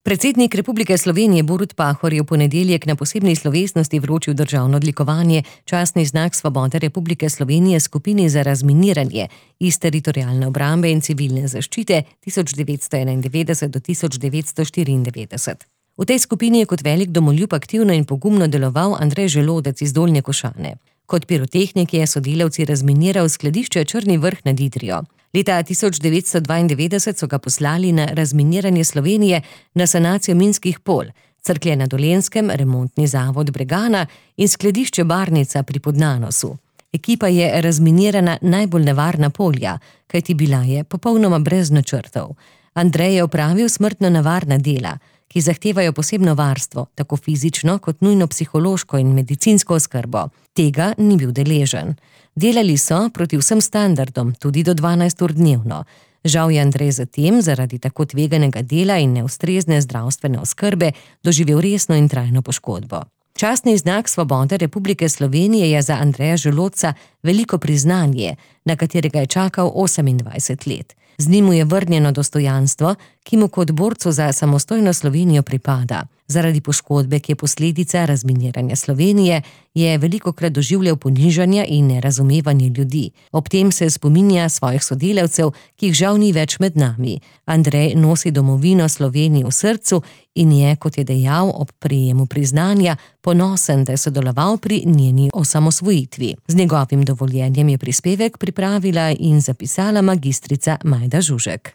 Predsednik Republike Slovenije Borut Pahor je v ponedeljek na posebni slovesnosti vročil državno odlikovanje častni znak svobode Republike Slovenije skupini za razminiranje iz Teritorialne obrambe in civilne zaščite 1991 do 1994. V tej skupini je kot velik domoljub aktivno in pogumno deloval Andrej Želodec iz Dolnje Košane. Kot pirotehnik je sodelavci razminiral skladišče Črni Vrh nad Idrijo. Leta 1992 so ga poslali na razminiranje Slovenije na sanacijo minskih polj, Cerklje na Dolenjskem, remontni zavod Bregana in skladišče Barnica pri Podnanosu. Ekipa je razminirana najbolj nevarna polja, kajti bila je popolnoma brez načrtov. Andrej je opravil smrtno nevarna dela, ki zahtevajo posebno varstvo, tako fizično kot nujno psihološko in medicinsko oskrbo. Tega ni bil deležen. Delali so proti vsem standardom, tudi do 12 ur dnevno. Žal je Andrej zatem, zaradi tako tveganega dela in neustrezne zdravstvene oskrbe, doživel resno in trajno poškodbo. Častni znak svobode Republike Slovenije je za Andreja Želodca veliko priznanje, na katerega je čakal 28 let. Z njim mu je vrnjeno dostojanstvo, ki mu kot borcu za samostojno Slovenijo pripada. Zaradi poškodbe, ki je posledica razminiranja Slovenije, je velikokrat doživljal ponižanja in nerazumevanje ljudi. Ob tem se spominja svojih sodelavcev, ki jih žal ni več med nami. Andrej nosi domovino Sloveniji v srcu in je, kot je dejal ob prejemu priznanja, ponosen, da je sodeloval pri njeni osamosvojitvi. Z njegovim dovoljenjem je prispevek pripravila in zapisala magistrica Majda Žužek.